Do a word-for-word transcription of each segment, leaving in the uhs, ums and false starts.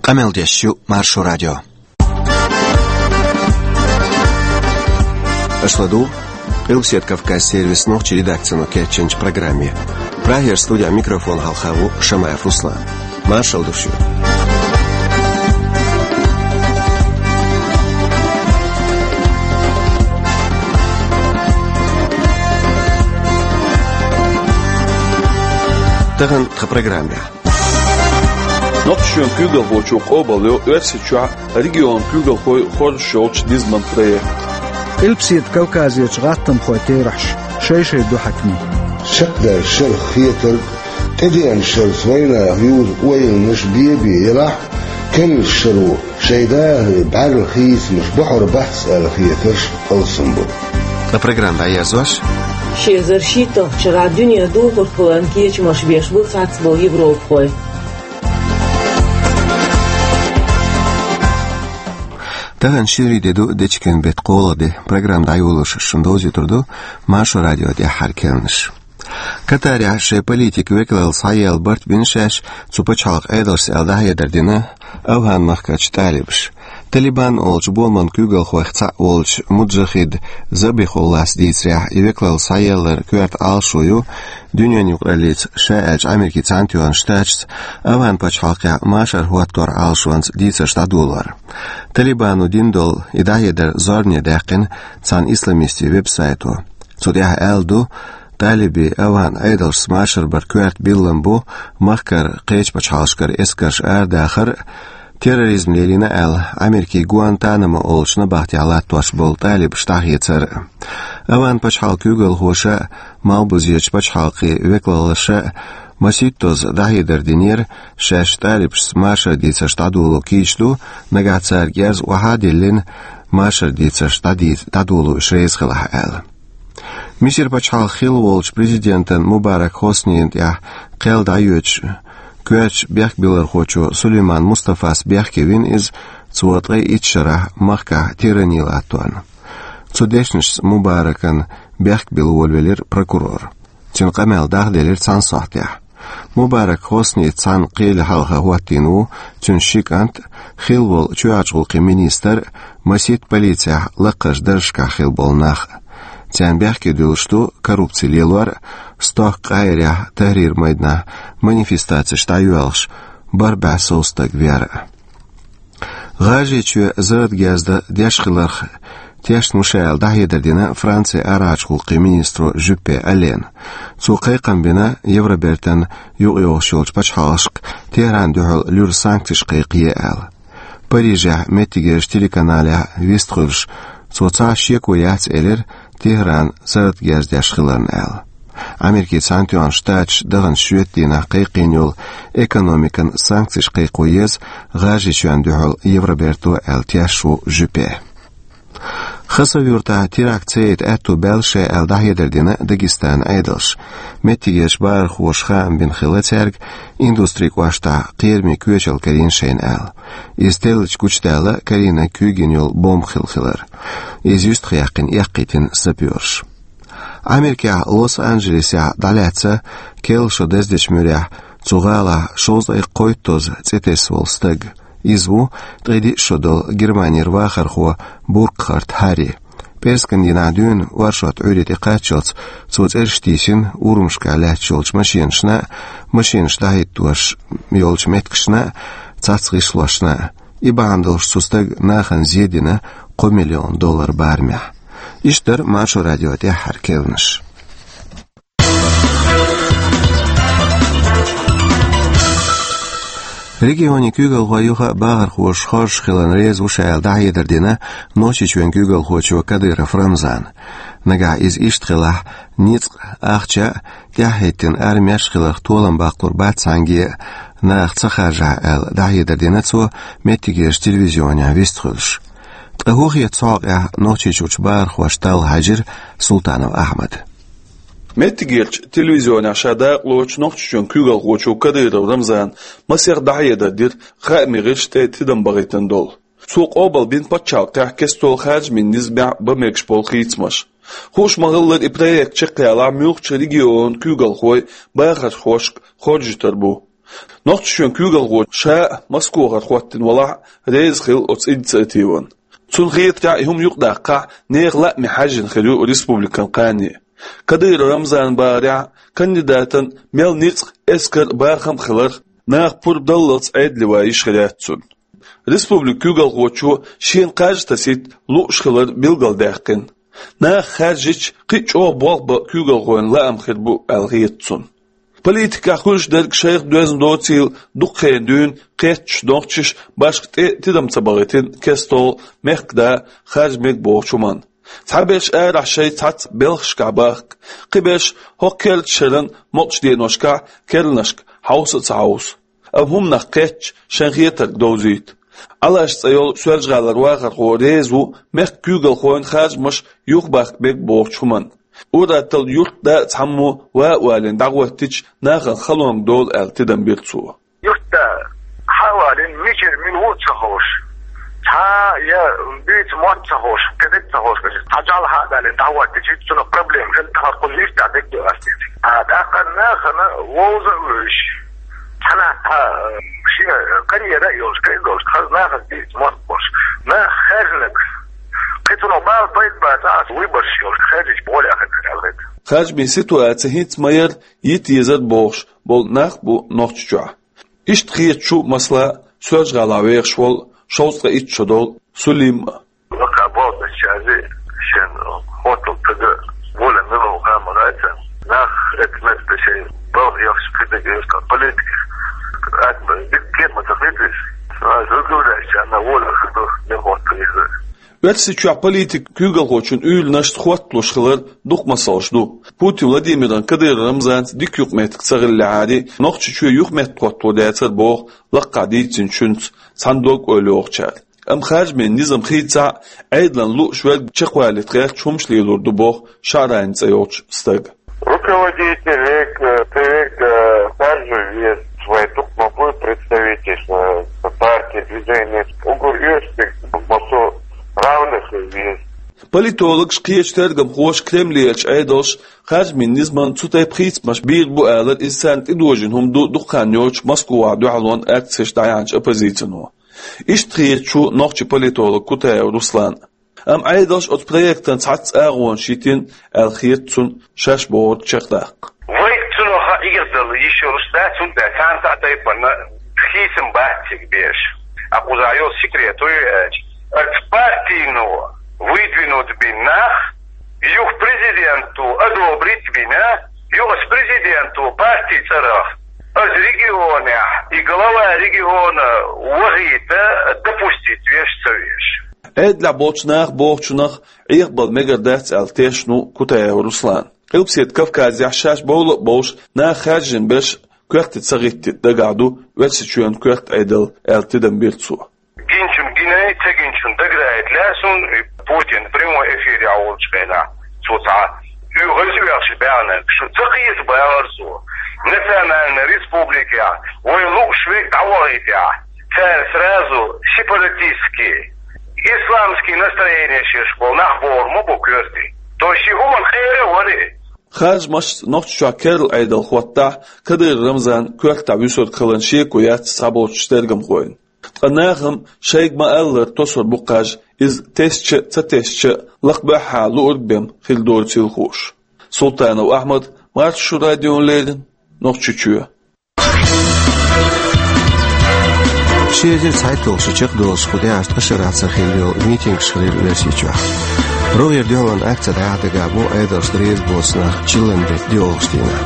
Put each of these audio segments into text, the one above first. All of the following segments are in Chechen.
Къамел деш ю Маршо радио. Аша ладугӀу Къилбаседа Кавказ сервисан нохчийн редакцино кечйинчу программе. Прагера студехь микрофон хьалха ву Шамаев Руслан. Маршалла ду шуьга. Тахана тхан программехь. Нохчийчоьнан куьйгалхочо къобалйо Оьрсийчохь регионан куьйгалхой хоржуш йолчу низаман проект. Къилбаседа Кавказерчу гӀаттамхойн терахьаш шай-шай ду хьаькамийн. Чекхдаьлла шарах хетарг, тӀедеана шарца вайнаха юзу ойланаш бен-бен елахь а, керлачу шаро шайн дахаран бӀаьрла хийцамаш бохьур бац аьлла хетарш алсам бу. Ткъа программа дӀаерзош: ши эзар шийтталгӀачу шарахь дуьненан духархойн кечамаш беш бу цхьацболу европахой. Тахана ши де ду, дечкен беттан кхоалгӀа де. Программа дӀайолош шуна довзуьйтур ду Маршо радион тӀаьххьара керланаш. Катарехь шайн политикан векалалла схьаелла барт бина шаьш цу пачхьалкхан Ӏедалшца аьлла дӀахьедар дина АвгӀан-махкарчу талибаша. Талибан олучу боламан куьйгалхойх цхьаъ волчу Муджахид Забихуллас дийцарехь, и векалалла схьаелларан коьрта Ӏалашо ю, дуьненан юкъараллица, ша аьлча Америкин Цхьаьнатоьхначу Штаташца, АвгӀан-пачхьалкхехь машар хӀотторан Ӏалашонца дийцарш дӀадолор. Талибано дина долу и дӀахьедар зорбане даьккхина цхьана исламистийн веб-сайто. Цу тӀехь аьлла ду, талибийн АвгӀан Ӏедалшца машар баран коьрта биллам бу махкара кхечу пачхьалкхашкара эскарш арадахар а, терроризм лелийна аьлла, Америкин Гуантанамо олучу набахтехь латтош болу талибаш дӀахецар а. АвгӀан-пачхьалкхан куьйгалхоша а, малхбузерчу пачхьалкхийн векалаллаша а масийттазза дӀахьедар динера, шаьш талибашца машаран дийцарш дӀадоло кийча ду, нагахь цара герз охьа а диллина, машаран дийцарш дӀадийца, дӀадоло уьш реза хилахь аьлла. Мисар-пачхьалкхан хилла волчу президентан Мубарак Хоснина тӀехь кхел дӀайоьдуш, коьртачу бехкбиллархочо Сулейман Мустафас бехке вина иза, цо ткъе итт шарахь махкахь тирани латторна. Цу дешнашца Мубаракна бехк билла волавелира прокурор. Цуьнан къамел дахделира цхьана сохьтехь. Мубарак Хосни цхьана кхеле хьалха хӀоттийна ву цуьнан ши кӀант а, хилла волу чоьхьарчу гӀуллакхийн министр а, масийтта полицехь лакхарчу даржашкахь хилла болу нах а. Царна бехке дуьллуш ду коррупци лелор а, стохка Къахьирехь, Тахьрир-майданахь манифестацеш дӀайоьлхуш, бархӀ бӀе сов стаг вер а. ГӀажарийчоь зарратан герз деш хиларх тешна ву ша аьлла дӀахьедар дина Францин арахьарчу гӀуллакхийн министро Жюппе Алена. Цо кхайкхам бина Евробертан юкъайогӀуш йолчу пачхьалкхашка Тегьранна дуьхьал луьра санкцеш кхайкхае аьлла. Парижехь меттигерчу телеканалехь вистхуьлуш, цо цхьа а шеко яц элира Тегьран зарратан герз деш хиларна аьлла. Америкин Цхьаьнатоьхна Штаташ даханчу шоьтан дийнахь кхайкхийна йолу экономикан санкцеш кхайкхо еза ГӀажарийчоьнна дуьхьал Евроберто аьлла тешна ву Жюппе. Хасав-Юьртахь теракт ца яйта аьтто баьлла шайн аьлла дӀахьедар дина Дагестанан Ӏедалша. Меттигерчу бахархоша хаам бина хилла цаьрга, Индустрин кӀоштахь кхерамийн коьчалла карийна шайна аьлла. Иза теллачу гучудаьлла карийнарг куьйгина йолу бомба хилла хилар. Иза юьстахъяьккхина эккхийтина сапёрша. Америкехь Лос-Анджелесехь дӀалаьцна керла шо даздечу муьрехь цу гӀалахь шовзткъе кхойттазза цӀе тесна волу стаг. Иза ву ткъе диъ шо долу Германера вахархо Буркхарт Харри. ПӀераскан дийнахь дуьйна оршот Ӏуьйре тӀекхаччалц цо цӀераш тийсина урамашкахь лаьтташ йолчу машинашна а, машинаш дӀахӀиттош йолчу меттигашна а, цхьацца гӀишлошна а. И бахьана долуш цу стага нахана зен дина кхо миллион доллар барамехь. Иштта дара Маршо радион тӀаьххьара керланаш. Регионийн куьйгалхой юха а бахархоша хоржуш хиларна реза ву ша аьлла дӀахьедар дина Нохчийчоьнан куьйгалхочо Кадыров Рамзана. Нагахь иза иштта хилахь, ницкъ, ахча а тӀаьхьахӀиттина армеш а хиларх толам баккхалур бац цхьаьнгге а, наха ца харжахь аьлла дӀахьедар дина цо меттигерчу телевизионехь вистхуьлуш. Ткъа хӀун хета цу хьокъехь Нохчийчуьрчу бахархошна талла хьаьжира Султанов Ахьмада. Меттигерчу телевизионехь ша дакъалоцучу Нохчийчоьнан куьйгалхочо Кадыров Рамзана масех дӀахьедар дира хаамийн гӀирсашна тӀе тидам бахийтина долу. Цо къобалбина пачхьалкхехь кестта долу харжамийн низамехь бан мегаш болу хийцамаш. Хууш ма-хиллара, и проект чекхъялахь муьлххачу регионан куьйгалхой бахархошка хоржуьйтур бу. Нохчийчоьнан куьйгалхочо ша а Москвахара хӀоттийна валахь а, реза хилла оцу инициативана. Цунна хетарехь, и хӀума юкъадаккхахь, нехан лааме хьаьжжина хир ю республикан кхане. Кадыров Рамзанан бахарехь, кандидатан мел ницкъ, эскар, бахам а хиларх, наха пурба даллалц Ӏедале ван йиш хир яц цунна. Республикан куьйгалхочо шена кхаж а тасийта лууш хилар билгалдаьккхина. Наха хаьржича, кхин а чӀогӀа болх бан куьйгалхойн лаам хир бу аьлла хета цунна. Политикехь хуьлуш дерг шайх доьзна доцийла, дукха хенахь дуьйна кхеттачу нохчаша башха тӀе тидам ца бахийтина кестта мехкан да харжа мега бохучу хӀуманна. Цхьаберш арахь шайн цхьацца белхашкахь бахка, кхиберш хӀокху керла шеран мукъачу деношкахь керланашка хьовса а ца хьовсу. Амма хӀуманах кхетча, шайн хетарг довзуьйту. Ӏалаш цӀе йолу Соьлжа-ГӀалара вахархо реза ву мехкан куьйгалхойн харжамаш юхабахка мега бохучу хӀуманна. Ур-атталла юрт, да а цхьаммо ван а валийна дӀахӀоттийча, нахана халонга долу аьлла тидам бира цо. Юрт, да, хьа а валийна, мичара мила ву а ца хууш, цхьа а я буьйцу мотт а ца хууш, кхин дерг а ца хууш, цхьа жӀаьла хьа а далийна дӀахӀоттийча, цунах проблема хила, тахана кхунна иштта дерг а ду ас дийцича. А тӀаккха нахана вовза а вевзаш, цхьанхьа цхьа, э, шен карьера а йолуш, кхин а долуш, хаза нахана дийца мотт болуш, нах хаьржинарг, кхин цунах бала пайда бац, ас выбораш йолуш, хаьржича болх хир ду аьлла хета. Харжамийн ситуаци хӀинца ма-ярра йита езар бохуш болу нах а бу Нохчийчохь. Иштта хеташ ву, масала, Соьлжа-ГӀалахь вехаш волу шовзткъе итт шо долу Сулим а. Лакха болх бечаьрца шен хӀоттал тага волан мила ву хан ма гайта. Нах эцна шайн балха яхаш кхидага юртан политика. Атма дика кема ца хилча, а, жугулаьчарна волан хӀума не хӀоттал иза. Оьрсийчохь политикан куьйгалхочун уьйранашца хӀотталуш хилар дукха масалш ду. Путин Владимиран Кадыров Рамзанца дика юкъаметтиг ца хиллехьара, Нохчийчоь юхаметтахӀотталур дацара боху лакхахь дийцинчуьнца цхьана дог-ойла йохучара. Амма харжамийн низам хийцахь а, Ӏедална лууш верг чекхвалийта гӀерташ хӀумаш лелор ду боху ШаӀрани цӀе йолчу стага. Руководитель век, э, привык, э, харжу вес свой, дукха ма бу представитель, э, партии, движения, угу вес, массо равных вес. Политологаш, кхечу тергамхоша Кремлерчу Ӏедалша харжамийн низамна цу тайпа хийцамаш бийр бу алар, иза царна тӀедожийна хӀума ду дукха хан йоцуш Москвахь дуьхьалонан акцеш дӀаяьхьначу оппозицино. Иштта хеташ ву нохчи политолог Кутаев Руслан. Амма Ӏедалша оцу проектан цхьацца агӀонаш йитина аьлла хета цунна шаьш бохург чекхдаккха. Вай цунах хьан игирдала йиш йолуш дац, хӀунда аьлча цхьана а тайпана хийцам бац цига беш. А кхузахь йолу секрет ю аьлча, оцу партийно выдвинут бина нах, юха президенто одобрить бина, юха оцу президенто партий цӀарах оцу регионехь и глава региона вахийта допустить веш а ца веш. Ӏедалехь болчу наха бохучунах Ӏехабала мегар дац аьлла тешна ву Кутаев Руслан. Къилбаседа Кавказехь шаьш бовла а бовлуш, наха хаьржина берш коьрте ца гӀиттийта дагахь ду Оьрсийчоьнан коьрта Ӏедал аьлла тидам бира цо. Гинчун гинай, ца гинчун дагадаийта лаьа суна, и Путин прямой эфирехь волчу хенахь цо цхьа оьгӀаз оьхуш баьхнарг шу ца кхета бахара цо. Национальная республикехь вай лууш верг дӀавахийтехь, цара сразу сепаратистский, исламский настроение шерш болу нах бохур ма бу коьрте. То есть ши хӀуманна кхера варе. Харжамашца Нохчийчохь керла Ӏедал хӀоттахь, Кадыров Рамзан коьртахь вуьсург хиларна шеко яц цхьаболчу тергамхойн. Ткъа нахам шайга ма-аллара тосур бу кхаж, иза тесча а, ца тесча а, лакха баьхьа луург бен хир доцийла хууш. Султанов Ахьмад, Маршо радиона леррина, Нохчийчоь. Ши эзар цхьайтталгӀа шо чекхдолуш кху тӀаьхьарчу ткъа шарахь ца хилла йолу митингаш хилира Оьрсийчохь. РогӀера дуьхьалонан акци дӀаяхьа дагахь бу Ӏедалшна реза боцу нах чиллан беттан доьалгӀачу дийнахь.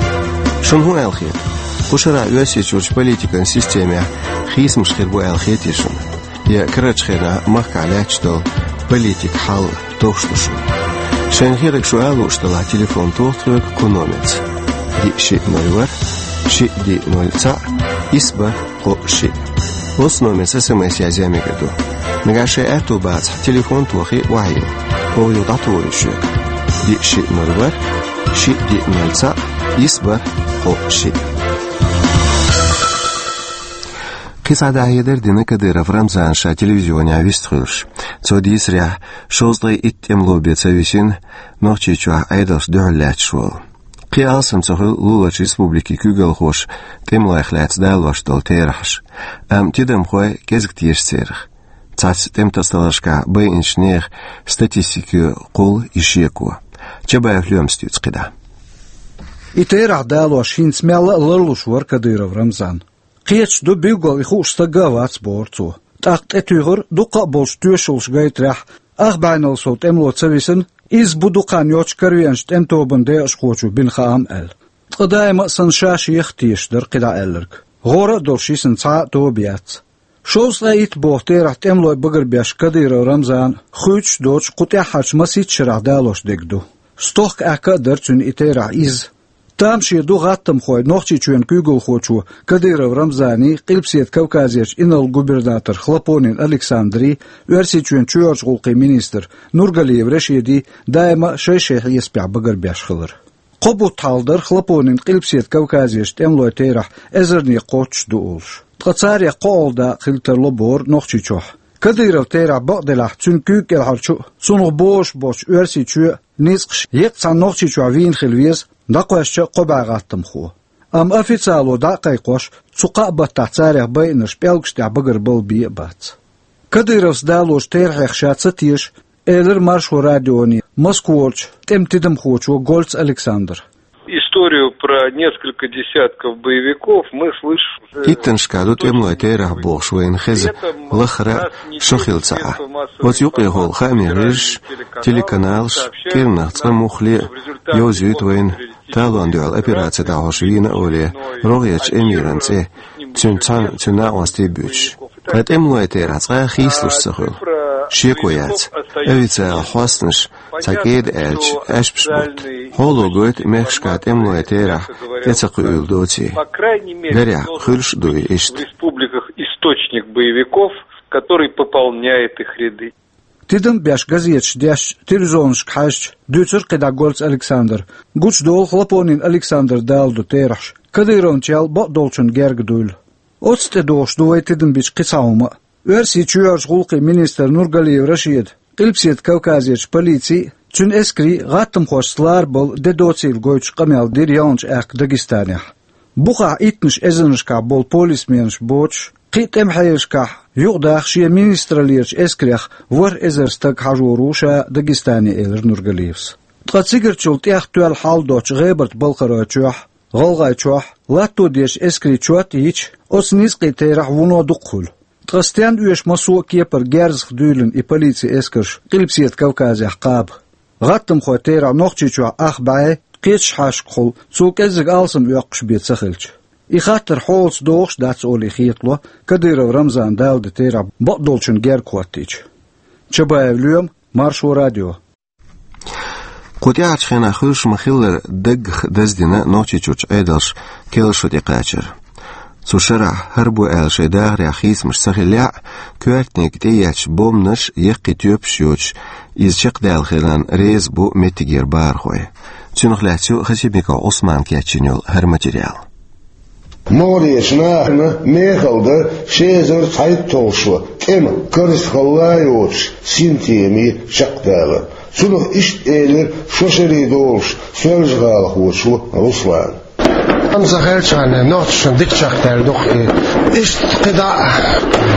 Шуна хӀун аьлла хета? Кху шарахь Оьрсийчуьрчу политикан системехь хийцамаш хир бу аьлла хетий шуна? Я карарчу хенахь махкахь лаьтташ долу политикан хьал товш ду шуна? Шайна хетарг шу ала лууш делахь, телефон тоха тхоьга кху номерца: диъ шиъ ноль ворхӀ, шиъ диъ ноль цхьаъ, исс бархӀ кхоъ шиъ. Оцу номерца СМС язъян мегар ду. Нагахь шайн аьтто бацахь, телефон тохий, охьайилла. Оха юха дӀатухур ю шуьга. Диъ шиъ ноль ворхӀ, шиъ диъ ноль цхьаъ, исс бархӀ кхоъ шиъ. Кхин цхьа дӀахьедар дина Кадыров Рамзана ша телевизионехь вистхуьлуш. Цо дийцарехь, шовзткъе итт тӀемало бен ца висина Нохчийчохь Ӏедалшна дуьхьал лаьтташ волу. И алсам ца хуьлу луларчу республикин куьйгалхоша тӀемалойх лаьцна далош долу терахьаш, амма тидамхой кӀезиг теша церах. Цхьацца тӀеман тасадаларшкахь байинчу нехан статистикехула и шеко. Чабаев Лоьмас дуьйцу кхидӀа. И терахь далош хӀинца мелла а ларлуш вара Кадыров Рамзан. Кхеташ ду, билггал и хууш стаг а вац, бохура цо. ТӀаккха тӀетуьйхира, дуккха а болчу тоьшаллаш гайтарехь, ах бӀенал сов тӀемало ца висина, изза бу дукха хан йоцчу каравенначу тӀеман тобанан декъашхочо бина хаам аьлла. Ткъа даима а санна ша шех а тешаш дара кхидӀа аьлларг. ГӀора а долуш йисина цхьа а тоба яц. Шовзткъе итт боху терахь тӀемалой багарбеш Кадыров Рамзана хуьйцуш доцуш кху тӀаьххьарчу масийтта шарахь далош дерг ду. Стохка аьхка а дара цуьнан и терахь изза. Тамаше ду гӀаттамхой Нохчийчоьнан куьйгалхочо Кадыров Рамзаний, Къилбаседа Кавказерчу инарла-губернатор Хлопонин Александрий, Оьрсийчоьнан чоьхьарчу гӀуллакхийн министр Нургалиев Рашидий даима а шай-шай хьесапехь багарбеш хилар. Кхо бутт хьалха дара Хлопонин Къилбаседа Кавказерчу тӀемалойн терахь эзарне кхоччуш ду олуш. Ткъа царех кхоалгӀа дакъа хила тарло бохура Нохчийчохь. Кадыров терахь бакъделахь, цуьнан куьйга кӀелхьарчу а, цунах бозуш болчу Оьрсийчоь а ницкъаш еккъа цхьана Нохчийчохь вийна хила веза, дӀакхоьссича а кхо бӀе гӀаттамхо. Амма официало дӀа а кхайкхош, цу кхаа баттахь царех байинарш пӀелгаш тӀехь багарбала бен а бац. Кадыровс далочу терахьех ша ца теша, элира Маршо радионе Москварчу тӀеман тидамхочо Гольц Александра. Историю про несколько десятков боевиков мы слышим уже... Иттанашкахь ду тӀемалойн терахь бохуш вайна хеза лаххара а шо хилла ца Ӏа. Оцу юкъехула хаамийн хьуьжарш, телеканалаш кӀиранах цкъа муххале а йовзуьйту вайна талонна дуьхьал операци дӀахьош вийна а волий рогӀерчу эмиран цӀе, цуьнан цхьана цуьнан накъостий а буьйцуш. Ткъа тӀемалойн терахь цкъа а хийцалуш ца хуьлу. Шеко яц, официалан хьостанаш цхьа кӀеда аьлча, аьшпаш бутта. Хьоло гойту мехкашкахь тӀемалойн терахь тӀе ца кхуьийла доций. Гарехь, хуьлуш а ду и иштта. В республиках источник боевиков, который пополняет их ряды. Тидам беш газеташ дешча, телевизионашка хьаьжча, дуьйцура кхидӀа Гольц Александра. Гучудолу Хлопонин Александра даладо терахьаш, Кадыровначул бакъдолчун герга дуйла. Оцу тӀе догӀуш ду вай тидам бича кхин цхьа хӀума а. Оьрсийн чоьхьарчу гӀуллакхийн министр Нургалиев Рашида, Къилбаседа Кавказерчу полицин а, цуьнан эскарийн а гӀаттамхошца ларбала де доцийла гойтуш къамел дира ялханчу аьхка Дагестанехь. Бухахь иттанаш эзарнашкахь болу полисменаш боцуш, кхин а тӀеман хьелашкахь юкъадаха шен министраллерачу эскарех ворхӀ эзар стаг хьажор ву ша Дагестане, элира Нургалиевс. Ткъа цигарчул тӀех тоьлла хьал доцучу ГӀебарта-Балкхаройчохь, ГӀалгӀайчохь латто дезачу эскарийн чот а йича, оцу ницкъийн терахь вуно дукха хуьлу. Ткъа стенна оьшу массо а кепара герзах дуьйлина и полицин эскарш Къилбаседа Кавказехь кхаба? ГӀаттамхойн терахь Нохчийчохь ах бӀе, кхечу хьаьжкӀахула цул кӀеззиг алсам оьккхуш бен ца хилча. И хаттар хьолаца догӀуш а дац олий хетало Кадыров Рамзана даладо терахь бакъдолчун герга хӀоттийча. Чабаев Лоьма, Маршо радио. Кху тӀаьхьарчу хенахь хуьлуш ма-хиллара даггах даздина Нохчийчуьрчу Ӏедалша керла шо тӀекхачар. Цу шарахь хӀара бу аьлла шайн дахарехь хийцамаш ца хиллехь а, коьртаниг тӀеетташ бомбанаш, яккхий тоьпаш йоцуш, иза чекхдаьлла хиларна реза бу меттигера бахархой. Цунах лаьцна ю Хасимиков Ӏусмана кечйина йолу хӀара материал. МогӀарерчу нахана мехала дара ши эзар цхьайтталгӀа шо тӀеман карзатхалла йоцуш синтеми чекхдалар. Цунах иштта элира шо шаре долуш Соьлжа-ГӀалахочо Руслана. Амма сан хелчхьана нохчашна дика чекхдаьлла ду-кх и. Иштта кхидӀа а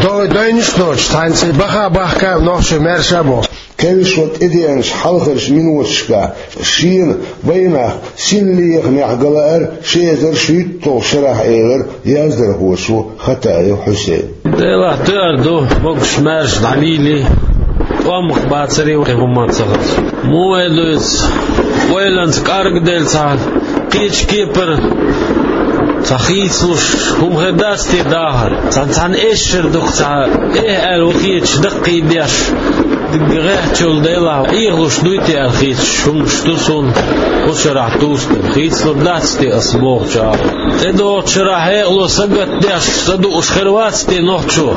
дой-, дойнаш а доцуш, цхьаьнца и баха а бахка а нохчий маьрша а боху. Керла шо тӀедеанчу хьалхарчу миноташкахь шена вайнах синлехамехь галаар ши эзар шийтталгӀа шарахь, элира яздархочо Хатаев Хьусейна. Делахь тоьар ду, могуш-маьрша дӀалийли, тӀом бацаре кхин хӀумма ца хаза. Муха вай дуьйцу, ойланца кӀаргделла цхьа кхечу кепара цхьа хийцалуш хӀума хир дац те дахар? Цхьана, цхьана эшшара дукха цхьа эхь аьлла вахеташ даккхийдеш, дика гӀеххьачул делахь, Ӏехалуш дуй те аьлла хийцаш хӀуманаш ду суна кху шарахь тустар. Хийцалур дац те ас бохучу агӀор? ТӀедогӀучу шарахь хьекъало сагатдеш, са дууш хир вац те нохчо?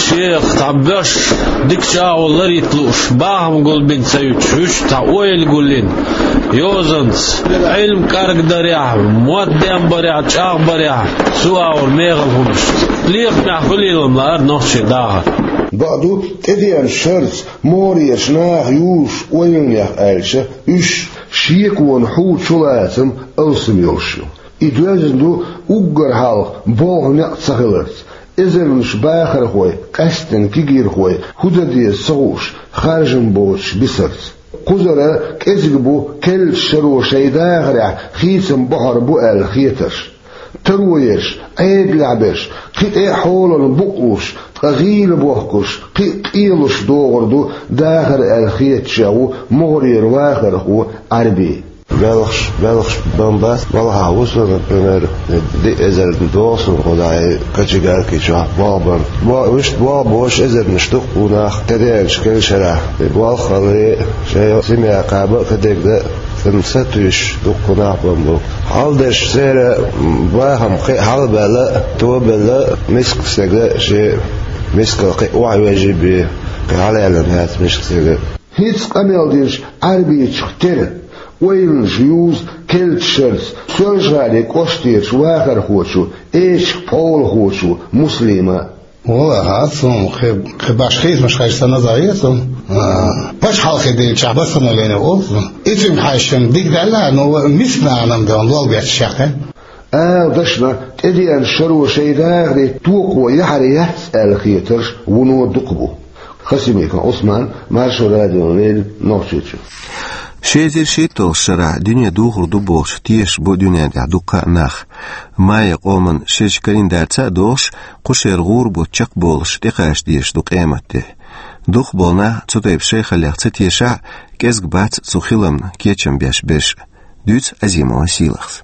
Шех цхьа боьш, дикачу агӀор ларийта лууш, бахам гулбина ца юьтуш, вуьш цхьа ойла гулйина, йозанца, Ӏилма кӀаргдарехь, мотт денбарехь, чӀагӀбарехь, цу агӀор мехала хӀуманашца. Лехамехь хуьлийла-м лаара нохчийн дахар. Бакъду, тӀедеанчу шарца могӀарерчу наха юзуш ойланех аьлча, уьш Шеконан хьу чулацам алсам йолуш ю. И доьзна ду уггар хьалха болх-некъ ца хиларца. Эзарнаш бахархой, къаьсттина кегийрхой, хӀун дан деза ца хууш, харжам боцуш бисарца. Кхузара кӀезиг бу керлачу шаро шайн дахарехь хийцам бохьур бу аьлла хетарш. Таро еш, Ӏедалехь берш, кхин тӀе а хьолана букъ луш, ткъа гӀийла бохкуш, кхин а къелуш догӀур ду дахар аьлла хетачех ву могӀарера вахархо Ӏарби. Белхаш, белхаш бан бац, балхахь ву со, например, диъ эзар догӀу суна кху дӀа кочегарки чохь болх бан. Бо-, вуьшта болх беш эзарнаш ду-кх ву нах тӀедеанчу керлачу шарахь. Болх а хиларе, шайн семья кхаба а, кадерг дан а, цунна сатуьйсуш ду-кх ву нах бан болх. Хьалдеш церан бахам кхин а хьалабаьлла а, тобелла а, мискачу стеган а шен мискал кхин а охьавежий бен, кхин хьалаьллина яц мискачу стеган а. ХӀинца къамел динчу Ӏарбичух тера, ойланаш юзу керлачу шарца Соьлжа-ГӀалин кӀоштарчу вахархочо, эчиг пхьолахочо Муслима. Валлахьи, хӀинца хӀума кхин, кхин башха хийцамаш хезча санна, а, пачхьалкхе динчохь восстановление олу. И цуьнга хьаьжча дика даьлла, но мискачу нахана-м дан лол бетташ яьккхина. Ала дашна, тӀедеанчу шаро шайн дахаре токхо яхьар яц аьлла хетарш вуно дукха бу. Хасимиков Ӏусман, Маршо радиона леррина, Нохчийчоь. Ши эзар шийтталгӀачу шарахь дуьне духур ду бохуш тешаш бу дуьнен тӀехь дуккха а нах. Майя къоман шерачу календарца а догӀуш, кху шеран гӀур бутт чекхболуш тӀекхача дезаш ду къематде. Дукхахболу нах цу тайпа шайхаллех ца тешахь а, кӀезиг бац цу хиламна кечам беш берш а. Дуьйцу Азимова Сийлахьас.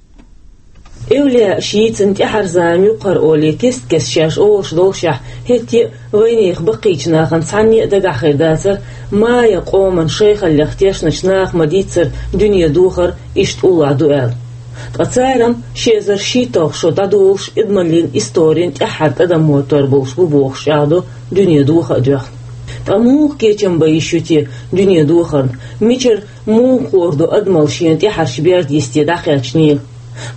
Эвлаяаш йийцина тӀаьхьарчу заманан юккъера олий кест-кеста шаьш олуш долушехь, хӀетте а вайнехан баккхийчу нахана цхьанне а дагахь хир дацара, майя къоман шайхаллех тешначу наха ма-дийццара дуьне духар иштта уллохь ду аьлла. Ткъа цара-м ши эзар шийтталгӀа шо дӀадолуш, адамаллин историн тӀаьххьара тӀадам моттор болуш бу бохуш чӀагӀдо дуьне духа а доьхна. Ткъа муха кечам бан йиш ю те дуьне духарна? Мичара, муха хуур ду адамалла шена тӀаьхьарчу берда йисте дӀакхаьчнера?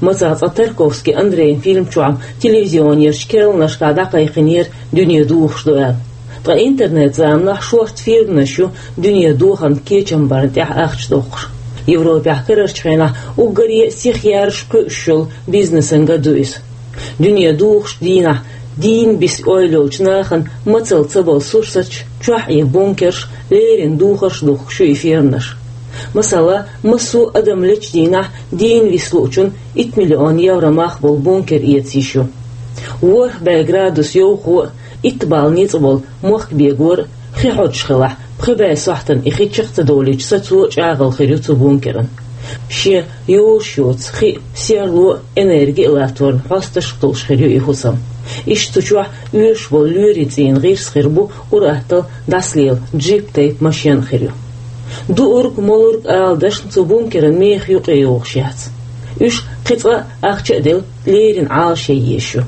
Мацах цкъа Тарковский Андрейн фильм чохь-м телевизионерчу керланашкахь дӀакхайкхинера дуьне духуш ду аьлла. Ткъа интернет-заманахь шорта фирманаш ю дуьне духарна кечам барна тӀехь ахча доккхуш. Европехь карарчу хенахь уггаре а сиха яржаш, кхуьуш йолу бизнесана ган ду иза. Дуьне духучу дийнахь дийна биса ойла йолчу нахана мацалла ца болу сурсаташ, чохь а бункерш, леррина духарш духкуш ю и фирманаш. Масала, массо а адам лечу дийнахь дийна виса луучунна итт миллион евро мах болу бункер эца йиш ю. ВорхӀ бӀе градус йовхо а, итт балла ницкъ болу мохк бегор а, хи хьодуш хилахь, пхи бӀе сохьтана и хи чекх ца долуьйтуш сацо а чӀагӀалла хир ю цу бункеран. Шен йолуш йоцу хи а, серло а, энерги а латторна хьосташка долуш хир ю и хӀусам. Иштта цу чохь оьшуш болу лоьрийн цӀийнан гӀирс хир бу ур-атталла дӀасалела джип-тайпа машен а хир ю. Дуург, молург ала дашна цу бункеран мехе юкъе йогӀуш яц. Уьш кхин цкъа а ахча а делла, леррина Ӏалашъян езаш ю.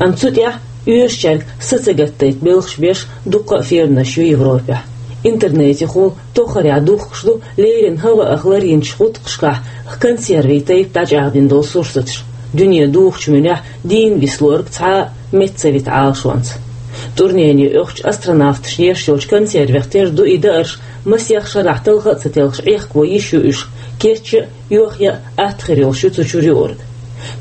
Амма цу тӀехь оьшучаьрга са ца гатдайта белхаш беш дуккха а фирманаш ю Европехь. Интернетехула тоххарехь духкуш ду леррина хӀаваах ларйинчу гӀутакхашкахь консервийн тайпа дӀачӀагӀдина долу сурсаташ, дуьне духучу муьнехь дийна виса луург цхьа а метта ца вита Ӏалашонца. ТӀурнене оьхучу астронавташна еш йолчу консервех тера ду и даарш, масех шарахь талха а ца телхаш Ӏехко йиш ю уьш, кечъян а, йохъян а атта хир йолуш ю цу чуьра юург.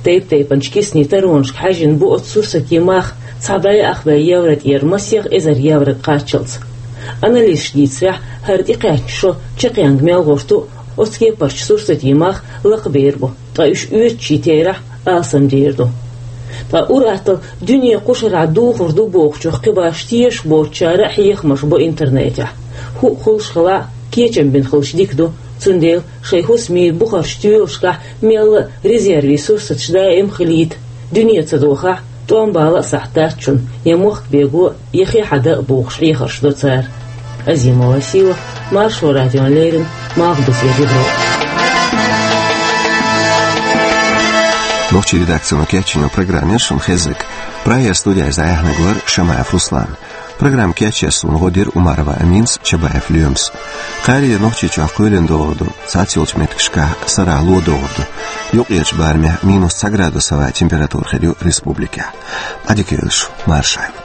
Тайп-тайпанчу киснийн таронашка хьаьжжина бу оцу сурсатийн мах цхьа бӀе ах бӀе евро тӀера масех эзар еврога кхаччалц. Анализаша дийцарехь, хӀара тӀекхаьчна шо чекхъяьнга мел гӀерта ду оцу кепарчу сурсатийн мах лакхабер бу, ткъа уьш оьцучийн терахь алсамдер ду. Ткъа ур-атталла дуьне кху шарахь духур ду бохучух кхин башха тешаш боцучара а хьехамаш бо интернетехь. ХӀуъа хуьлуш хилахь а, кечам бина хилча дика ду, цундела шайн хӀусамийн бухарчу тоьлашкахь мелла а резервийн сурсаташ даим хилийта, дуьне ца дохахь, тӀом бала а сахьт дац шуна, я мохк бего, я хи хьада а бохуш хьехарш до цара. Азимова Сийлахь, Маршо радиона леррина, Малхбузера Европа. Нохчийн редакцино кечйина программа яра шуна хезнарг. Прагера студехь иза дӀаяьхьнарг вара Шамаев Руслан. Программа кечъеш суна гӀо дира Умарова Аминас, Чабаев Лоьмас. Кхаарийра Нохчийчохь кхоьлина догӀур ду, цхьацца йолчу меттигашкахь сарахь ло догӀур ду. Юккъерчу барамехь минус цхьа градус хилла температура хир ю республикехь. Ӏадика йойла шу, марша Ӏойла.